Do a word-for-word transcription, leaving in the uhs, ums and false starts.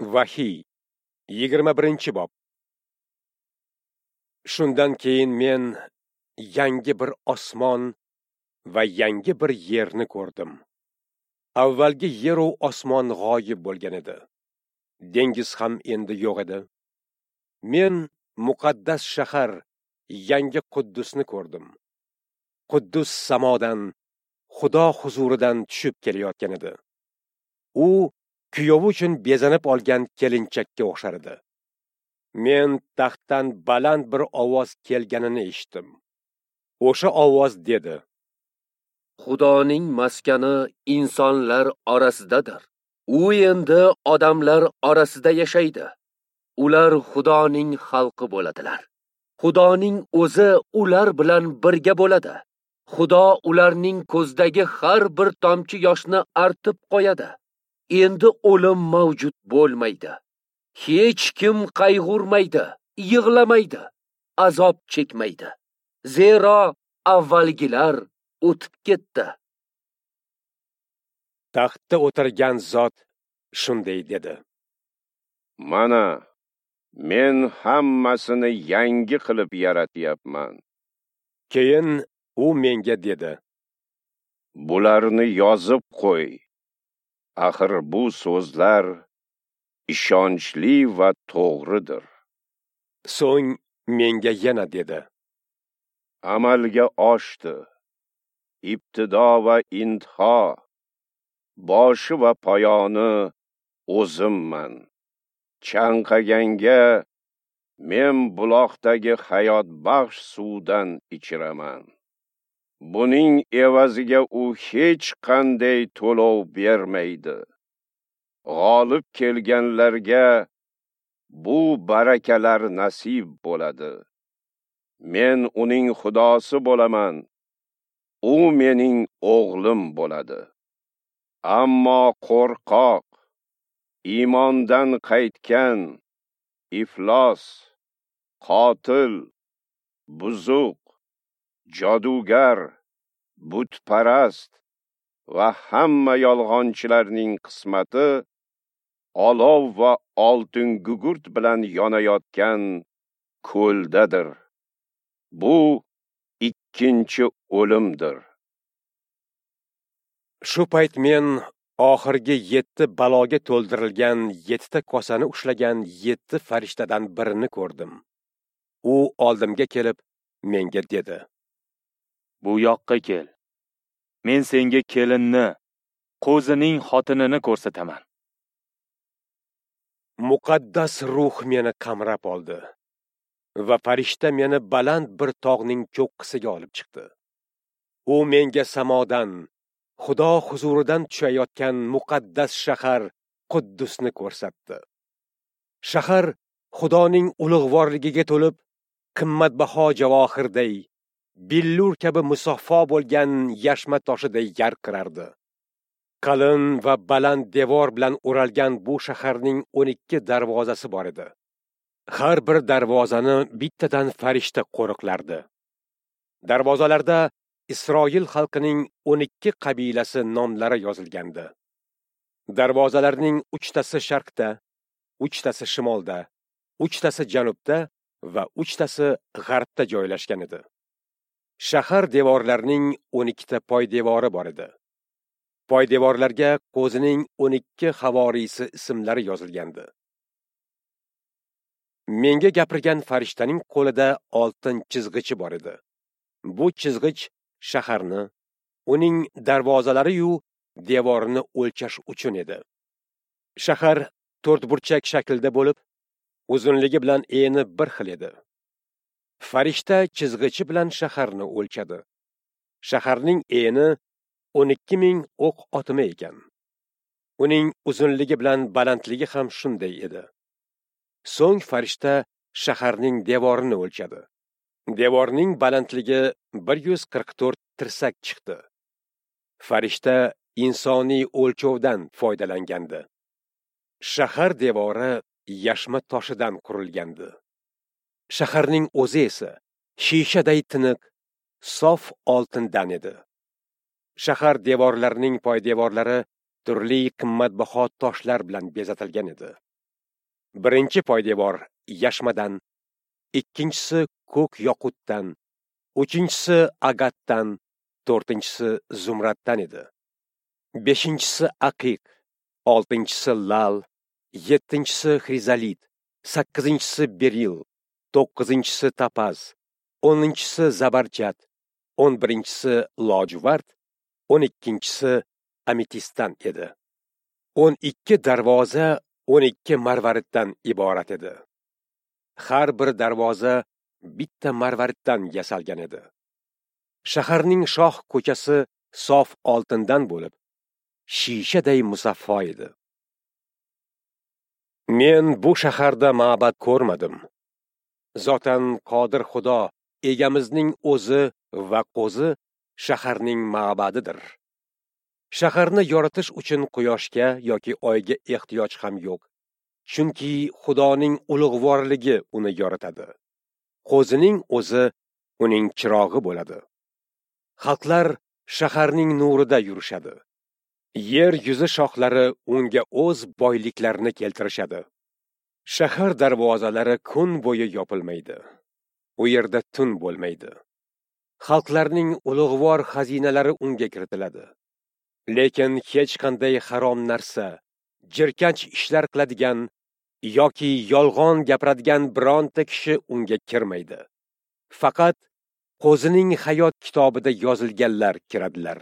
Vahiy yigirma birinchi bob. Shundan keyin men yangi bir osmon va yangi bir yerni ko'rdim. Avvalgi yer u osmon g'oyib bo'lgan edi. Dengiz ham endi yo'q edi. Men muqaddas shahar, yangi Quddusni ko'rdim. Quddus samodan, Xudo huzuridan tushib kelayotgan edi. U kuyovi uchun bezanib olgan kelinchakka o'xshar edi. Men taxtdan baland bir ovoz kelganini eshitdim. O'sha ovoz dedi: Xudoning maskani insonlar orasidadir. U endi odamlar orasida yashaydi. Ular Xudoning xalqi bo'ladilar. Xudoning o'zi ular bilan birga bo'ladi. Xudo ularning ko'zdagi har bir tomchi yoshni artib qo'yadi. Endi o'lim mavjud bo'lmaydi. Hech kim qayg'urmaydi, yig'lamaydi, azob chekmaydi. Zero avvalgilar o'tib ketdi. Taxtda o'tirgan zot shunday dedi: Mana men hammasini yangi qilib yaratyapman. Keyin u menga dedi: Bularni yozib qo'y. Axir bu so'zlar ishonchli va to'g'ridir. So'ng menga yana dedi: Amalga oshdi. Ibtido va intiho, boshi va poyoni o'zimman. Chanqaganga men buloqdagi hayotbaxsh suvdan ichiraman. Buning evaziga u hech qanday to'lov bermaydi. G'olib kelganlarga bu barakalar nasib bo'ladi. Men uning xudosi bo'laman. U mening o'g'lim bo'ladi. Ammo qo'rqoq, iymondan qaytgan, iflos, qotil, buzuq, jodugar, butparast va hamma yolg'onchilarning qismati olov va oltin gugurt bilan yonayotgan ko'ldadir. Bu ikkinchi o'limdir. Shu payt men oxirgi yetti baloga to'ldirilgan yettita kosani ushlagan yetti farishtadan birini ko'rdim. U oldimga kelib menga dedi: Bu yoqqa kel. Men senga kelinni, qo'zining xotinini ko'rsataman. Muqaddas ruh meni qamrab oldi va farishta meni baland bir tog'ning cho'qqisiga olib chiqdi. U menga samodan, Xudo huzuridan tushayotgan muqaddas shahar Quddusni ko'rsatdi. Shahar Xudoning ulug'vorligiga to'lib, qimmatbaho javohirday, billur kabi musaffo bo'lgan yashma toshiday yarqirardi. Qalin va baland devor bilan o'ralgan bu shaharning o'n ikki darvozasi bor edi. Har bir darvozani bittadan farishta qo'riqlardi. Darvozalarda Isroil xalqining o'n ikki qabilasi nomlari yozilgandi. Darvozalarning uchtasi sharqda, uchtasi shimolda, uchtasi janubda va uchtasi g'arbda joylashgan edi. Shahar devorlarining o'n ikkita poydevori bor edi. Poydevorlarga qo'zining o'n ikki havoriysi ismlari yozilgandi. Menga gapirgan farishtaning qo'lida oltin chizg'ichi bor edi. Bu chizg'ich shaharni, uning darvozalari-yu devorini o'lchash uchun edi. Shahar to'rtburchak shaklda bo'lib, uzunligi bilan eni bir xil edi. Farishta chizg'ichi bilan shaharni o'lchadi. Shaharning eni o'n ikki ming o'q otimi ekan. Uning uzunligi bilan balandligi ham shunday edi. So'ng farishta shaharning devorini o'lchadi. Devorning balandligi bir yuz qirq to'rt tirsak chiqdi. Farishta insoniy o'lchovdan foydalangandi. Shahar devori yashma toshidan qurilgandi. Shaharning o'zi esa shishaday tiniq, sof oltindan edi. Shahar devorlarining poydevorlari turli qimmatbaho toshlar bilan bezatilgan edi. Birinchi poydevor yashmadan, ikkinchisi ko'k yoqutdan, uchinchisi agatdan, to'rtinchisi zumraddan edi. Beshinchisi aqiq, oltinchisi lal, yettinchisi xrizolit, sakkizinchisi beril, to'qqizinchisi topaz, o'ninchisi zabarjad, o'n birinchisi lojuvard, o'n ikkinchisi ametistdan edi. O'n ikki darvoza o'n ikki marvariddan iborat edi. Har bir darvoza bitta marvariddan yasalgan edi. Shaharning shoh ko'chasi sof oltindan bo'lib, shishaday musaffo edi. Men bu shaharda ma'bad ko'rmadim. Zotan Qodir Xudo egamizning o'zi va qo'zi shaharning ma'badidir. Shaharni yoritish uchun quyoshga yoki oyga ehtiyoj ham yo'q. Chunki Xudoning ulug'vorligi uni yoritadi. Qo'zining o'zi uning chirog'i bo'ladi. Xalqlar shaharning nurida yurishadi. Yer yuzi shohlari unga o'z boyliklarini keltirishadi. Shahar darvozalari kun bo'yi yopilmaydi. U yerda tun bo'lmaydi. Xalqlarning ulug'vor xazinalari unga kiritiladi. Lekin hech qanday harom narsa, jirkanch ishlar qiladigan yoki yolg'on gapiradigan bironta kishi unga kirmaydi. Faqat Qo'zining hayot kitobida yozilganlar kiradilar.